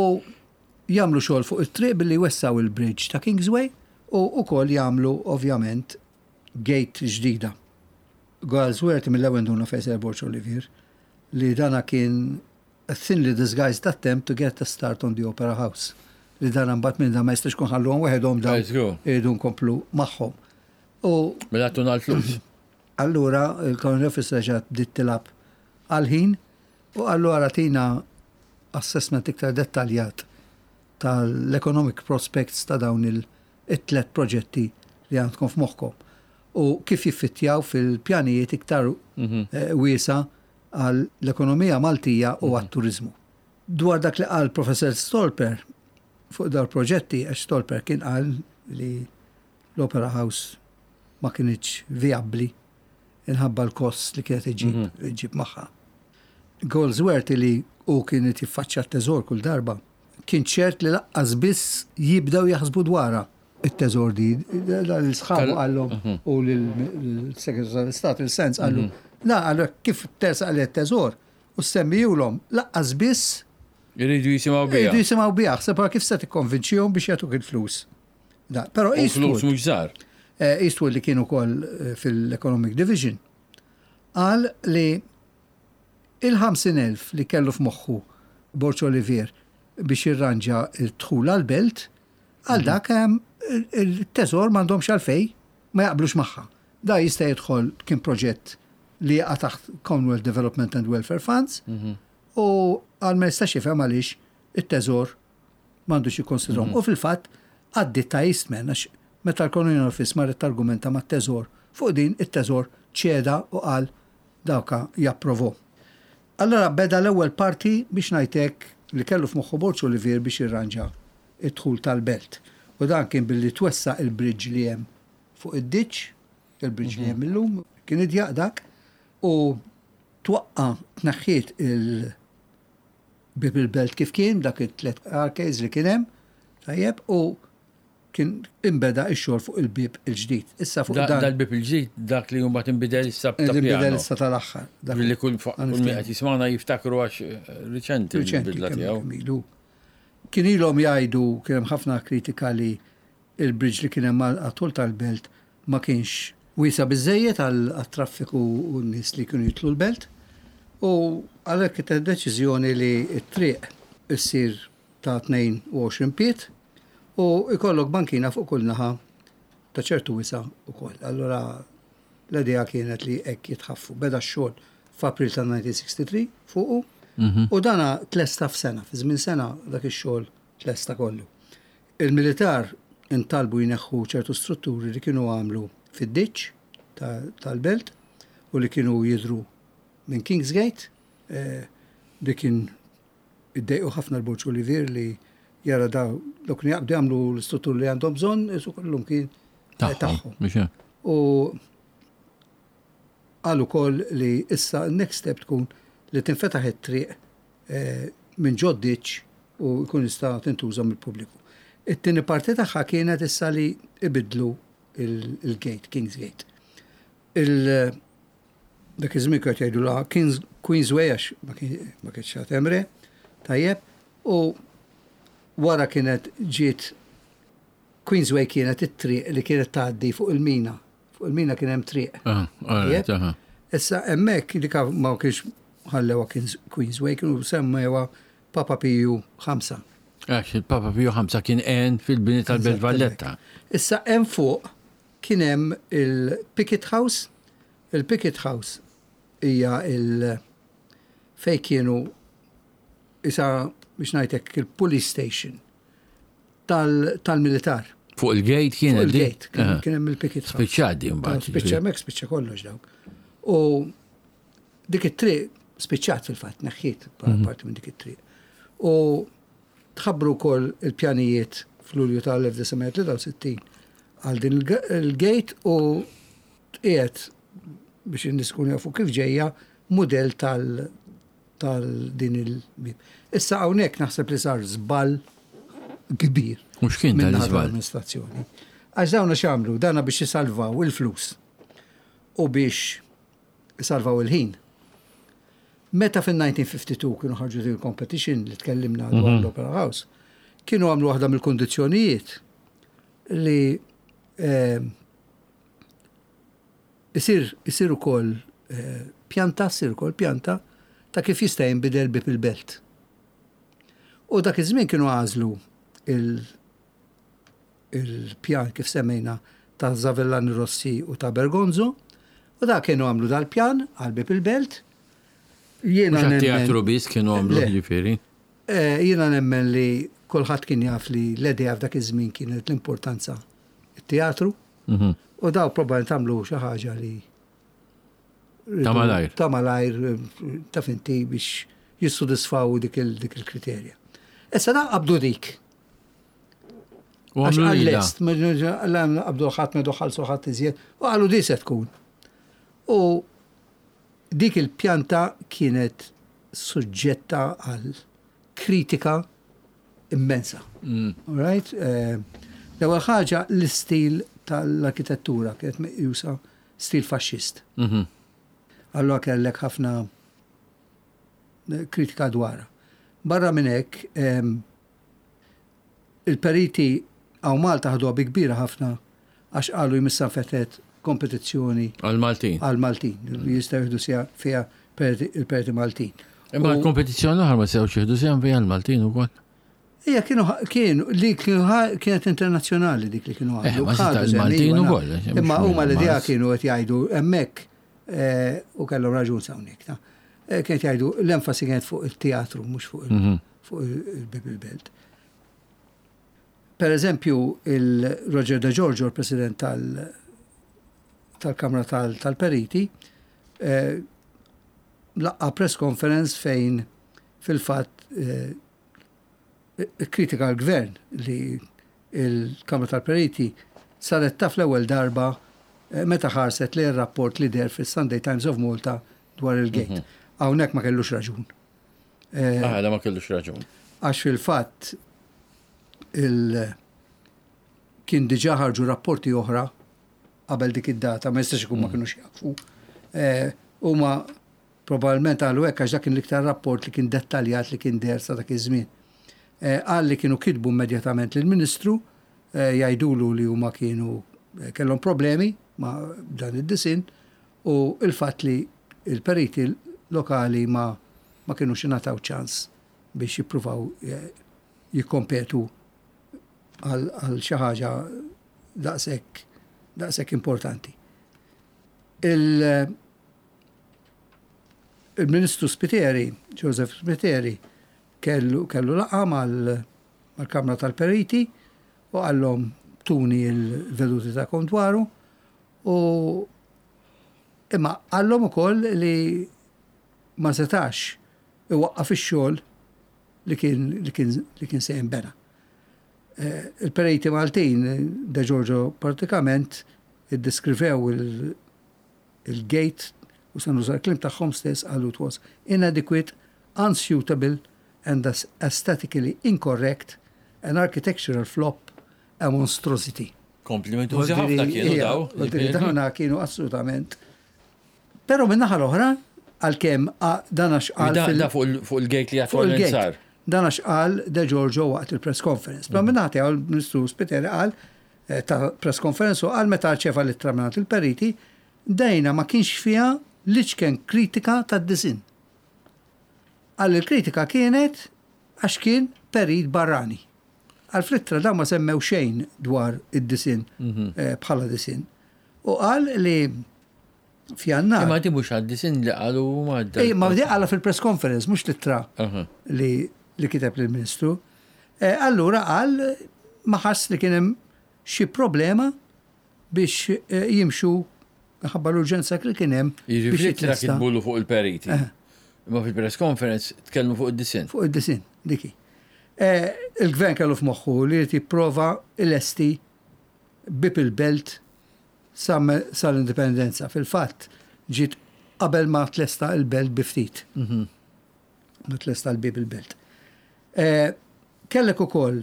jagħmlu xogħol fuq it-triq billi jwessgħu il-bridge ta' Kingsway u wkoll jagħmlu ovvjament gate ġdida. Galsworthy mill-ewwel nduna fejn ser Borg Olivier li dana kien a thinly disguised attempt to get a start on the Opera House. Li dana mbagħad minn dan ma jistax kun ħalluhom waħedhom dawn iridu nkomplu magħhom. U Mela tuna l-flus. Allura il-Colonial Office reġgħet bdiet tilgħab għall-ħin u allura tina assessment iktar dettaljat tal-economic prospects ta' dawn it-tlet proġetti li għandkom f'moħħkom u kif jiffittjaw fil-pjanijiet iktar mhm. eh, wiesa għall-ekonomija Maltija u mhm. għat-turizmu. Dwar dak li qal Professor Stolper fuq dar proġetti, għax Stolper kien qal li l-Opera House ma kinitx vijabbli inħabba l-kost li kienet iġib, mhm. iġib magħha. Goldsworthy li hu kien irid jiffaċċja t-teżor kull darba, kien ċert li laqqas biss jibdew jaħsbu dwarha it-teżor di. Lil sħabu qallhom mhm. u lill-Segretarju tal-Istat, il-Sens qallu, mhm. la qallu kif tersaq li t-teżor u semmijulhom laqqas biss Iridu jisimgħu biha. Iridu jisimgħu biha, ħseb kif se tikkonvinċihom biex jagħtuk il-flus. Da, però Eastwood. Flus mhux żgħar. Eh, Eastwood li kien ukoll eh, fil-Economic Division qal li il-50,000 li kellu f'moħħu Borg Olivier biex jirranġa d-dħul għall-belt, għal mhm. dak il-teżor m'għandhomx għalfej ma jaqblux magħha. Da jista' jidħol kien proġett li jaqa' taħt Commonwealth Development and Welfare Funds mhm. u għal ma jistax jifhem għaliex it-teżor m'għandux jikkonsidrahom. Mhm. U fil-fatt għaddiet ta' Eastman għax meta l-Colonial Office marret targumenta mat-teżor fuq din it-teżor ċeda u qal dawka japprovo. Allura beda l-ewwel parti biex ngħid hekk li kellu f'moħħu Borg Olivier biex jirranġa d-dħul tal-belt. U dan kien billi twessa' il-bridge li hemm fuq id-ditch, il-bridge li hemm illum, kien idjaq dak, u twaqqa' tneħħiet il bieb il-belt kif kien, dak it-tlet arcades li kien hemm, tajjeb, u kien inbeda x-xogħol fuq il-bieb il-ġdid. Issa fuq dan. Dal-bieb il-ġdid dak li mbagħad inbidel issa ta' Inbidel issa tal-aħħar. Li kull min qed jismagħna jiftakru għax eh, riċenti l-bidla tiegħu. Kien ilhom jgħidu kien hemm ħafna kritika li il-bridge li kien hemm għat-tul tal-belt ma kienx wiesa' biżżejjed għat-traffiku u n-nies li kienu jidħlu l-belt u għalhekk ittieħdet deċiżjoni li t-triq issir ta' 22 pied u jkollok bankina fuq kull naħa ta' ċertu wisa' ukoll. Allura l-idea kienet li hekk jitħaffu. Beda x-xogħol f'April tal-1963 fuqu mhm. u dana tlesta f'sena, fi żmien sena dak ix-xogħol tlesta kollu. Il-militar intalbu jneħħu ċertu strutturi li kienu għamlu fid-ditch tal-belt u li kienu jidhru minn Kingsgate. Eh, li kien iddejqu ħafna l-Borġ Olivier li jara da dawk li jaqbdu jagħmlu l-istrutturi li għandhom bżonn, isu kollhom kien eh, tagħhom. U qal ukoll li issa next step tkun li tinfetaħ it-triq eh, minn ġod-ditch u jkun jista' tintuża mill-pubbliku. It-tieni parti tagħha kienet issa li ibiddlu il-gate, King's Gate. Il dak iż-żmien kienu jgħidu la Queen's Way għax ma kienx għad hemm re, tajjeb, u wara kienet ġiet Queen's Way kienet it-triq li kienet tgħaddi fuq il-mina. Fuq il-mina kien hemm triq. Ah, Issa hemmhekk dik ma kienx ħallewha Queen's Way kienu semmewha Papa Piju 5. Għax il-Papa Piju 5 kien għen fil-bini tal-Belt Valletta. Issa hemm fuq kien hemm il-Picket House. Il-Picket House hija il fej kienu isa biex ngħidlek il-police station tal-militar. Fuq il-gate kien Fuq il-gate, kien hemm il-picket. Spiċċat din mbagħad. Spiċċa hemmhekk spiċċa kollox dawk. U dik it-triq spiċċat fil-fatt, neħħiet mhm. parti minn dik it-triq. U tħabbru wkoll il-pjanijiet fl-Lulju tal-1963 għal din il-gate u tqiegħed biex in-nies ikunu jafu kif ġejja mudell tal tal din il-bieb. Issa hawnhekk naħseb li sar żball kbir. U x'kien dan l-iżball? Amministrazzjoni. Għax dawna x'għamlu? Dana biex isalvaw il-flus u biex isalvaw il-ħin. Meta fin-1952 kienu ħarġu din il-competition li tkellimna dwar mhm. l-Opera House, kienu għamlu waħda mill-kundizzjonijiet li eh, Isir isir ukoll pjanta, ssir ukoll pjanta ta' kif jista' jinbidel bieb il-belt. U dak iż-żmien kienu għażlu il-pjan kif semmejna ta' Zavellani Rossi u ta' Bergonzo u da kienu għamlu dal-pjan għal bieb il-belt. Jiena nemmen. Teatru biss kienu għamlu ġifieri. Eh, jiena nemmen li kulħadd kien jaf li l-idea f'dak iż-żmien kienet l-importanza it-teatru. Mhm. U daw probabbilment għamlu xi ħaġa li Ta' malajr. Ta' malajr, ta' finti biex jissodisfaw dik il-kriterja. Issa da qabdu dik. U għamlu għall-lest, qabdu ħadd ma ħalsu ħadd iżjed, u qalu di se tkun. U dik il-pjanta kienet suġġetta għal kritika immensa. All right? L-ewwel ħaġa l-istil tal-arkitettura kienet meqjusa stil faxxist. Allura kellek ħafna kritika dwarha. Barra minn hekk, il-periti hawn Malta ħaduha bi kbira ħafna għax qalu jmissha nfetħet kompetizzjoni Għal-Maltin. għal-Maltin, li jistgħu jieħdu sehem fiha il-periti Maltin. Imma l-kompetizzjoni l-oħra ma setgħux jieħdu sehem fiha l-Maltin ukoll. Ija kienu li kienu kienet internazzjonali dik li kienu Eh, għamlu. ma seta' Ħadu sehem, il-Maltin iva, ukoll, naf. eh, Imma mhux huma l-idea Mars. kienu qed jgħidu hemmhekk u kellhom raġun hawnhekk. Ta. Kienet jgħidu l-enfasi kienet fuq il-teatru mhux fuq fuq il-Bieb il-Belt. Per eżempju, il-Roger De Giorgio, il-President tal-Kamra tal-Periti, laqqa press conference fejn fil-fatt kritika l-gvern li il-Kamra tal-Periti saret taf l-ewwel darba meta ħarset li r-rapport li deher fis-Sunday Times of Malta dwar il-gate. Hawnhekk ma kellux raġun. Ah, da ma kellux raġun. Għax fil-fatt kien diġà ħarġu rapporti oħra qabel dik id-data, ma jistax ikun ma kinux jafu. Huma probabbilment qalu hekk għax dak kien l-iktar rapport li kien dettaljat li kien deher sa dak iż-żmien. Qal li kienu kitbu immedjatament lill-Ministru jgħidulu li huma kienu kellhom problemi ma' dan id-disin u il-fatt li il-periti lokali ma kienux ingħataw ċans biex jippruvaw jikkompetu għal xi ħaġa daqshekk importanti. Il-Ministru Spiteri, Joseph Spiteri, kellu laqgħa mal-Kamra tal-Periti u qallhom tuni l-veduti tagħkom dwaru u imma qallhom ukoll li ma setax iwaqqaf ix-xogħol li kien se jinbena. Il-periti Maltin, De Giorgio pratikament, iddeskrivew il-gate u se nuża l-kliem tagħhom stess, qalu it was inadequate, unsuitable and aesthetically incorrect, an architectural flop, a monstrosity. Komplimentużi ħafna kienu daw. Dawna kienu assolutament. Però min-naħa l-oħra, għalkemm dan għax qal Da fuq il-gate li fuq attualment il-gate. sar. Dan għax qal De Giorgio waqt il-press conference. Però min-naħa tiegħu il-Ministru Spiteri qal ta' press conference u qal meta rċeva l-ittra mingħand il-periti, dejna ma kienx fiha l-iċken kritika tad-disin. Qal il-kritika kienet għax kien perit barrani. Għal fl-ittra dawn ma semmew xejn dwar id-disin bħala disin. U qal li f'Jannar. Imma di mhux għad-disin li qalu huma għad- Ej, ma di qala fil-press conference, mhux l-ittra li kiteb lill-Ministru. Allura qal ma ħass li kien hemm xi problema biex jimxu ħabba l-urġenza li kien hemm Jiġifieri biex fl-ittra jitlesta. kitbulu fuq il-periti. Imma fil-press conference tkellmu fuq id-disin. Fuq id-disin, diki. Il-gvern kellu f'moħħu li jrid jipprova ilesti Bieb il-Belt sal-indipendenza. Fil-fatt, ġiet qabel ma tlesta il-belt bi ftit. Ma tlesta l-Bieb il-Belt. Kellek ukoll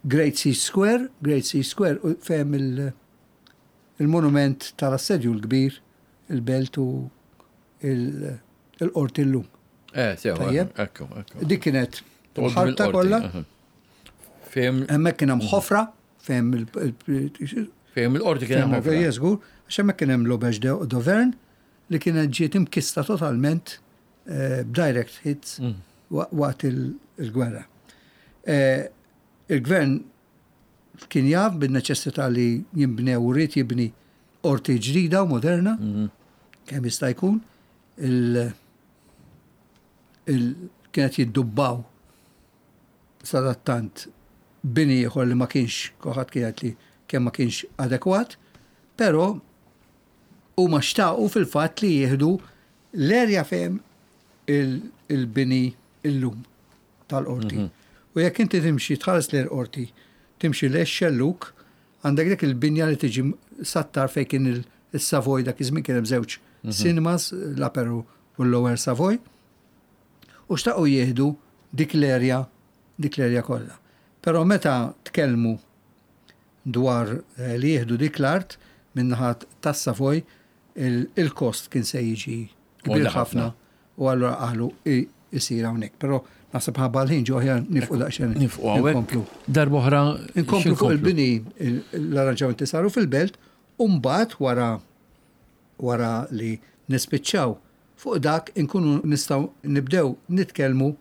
Great Sea Square, Great Sea Square u fejn il-monument tal-assedju l-kbir, il-belt u il-qorti l-lum. Sewa, Tajjeb. ekku, ekku. Dik kienet Toqgħod ħarta mill-qorti, kollha. aha. Fejn Hemmhekk kien hemm ħofra, fejn il- Fejn il-qorti kien hemm Fejn ħofra. il-qorti, żgur, għax hemmhekk kien hemm l-Auberge d'Auvergne li kienet ġiet imkista totalment b'direct hits waqt il-gwerra. Il-gvern kien jaf bin-neċessità li jinbnew u rrid jibni qorti ġdida u moderna, kemm jista' jkun, kienet jiddubbaw sadattant bini ieħor li ma kienx, kulħadd kienet li kemm ma kienx adekwat, però huma xtaqu fil-fatt li jieħdu l-erja fejn il-bini illum tal-qorti. U jekk inti timxi tħares lejn qorti, timxi lejn xelluk, għandek dik il-binja li tiġi sattar fejn kien il-Savoy dak iż-żmien kien hemm żewġ cinemas, l-Upper u l-Lower Savoy. u xtaqu jieħdu dik l-erja dik l-erja kollha. Però meta tkellmu dwar eh, li jieħdu dik l-art min-naħa tas-Savoy il-kost kien se jiġi kbir ħafna u allura qalu isir hawnhekk. Però naħseb ħabba l-ħin ġo aħjar nifqu daqsxejn. Nifqu hawnhekk. Darba oħra. Inkomplu fuq il-bini l-arranġamenti saru fil-belt u mbagħad wara wara li nispiċċaw fuq dak inkunu nistgħu nibdew nitkellmu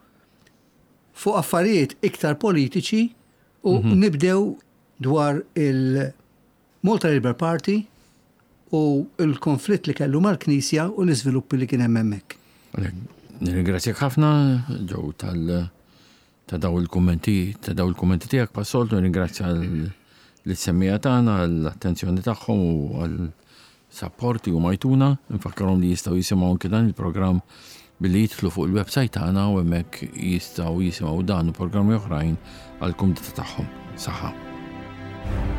fuq affarijiet iktar politiċi u mhm. nibdew dwar il-Malta Labour Party u l-konflitt li kellu mal-Knisja u l-iżviluppi li kien hemm hemmhekk. Nirringrazzjak ħafna ġew tal ta' daw il-kummenti ta' daw il-kummenti tiegħek passoltu nirringrazzja l-semmija tagħna għall-attenzjoni tagħhom u għal Sapport li huma jtuna, infakkarhom li jistgħu jisimgħu anke dan il-programm billi jidħlu fuq il-website tagħna u hemmhekk jistgħu jisimgħu dan u programmi oħrajn għall-kumdità tagħhom. Saħħa.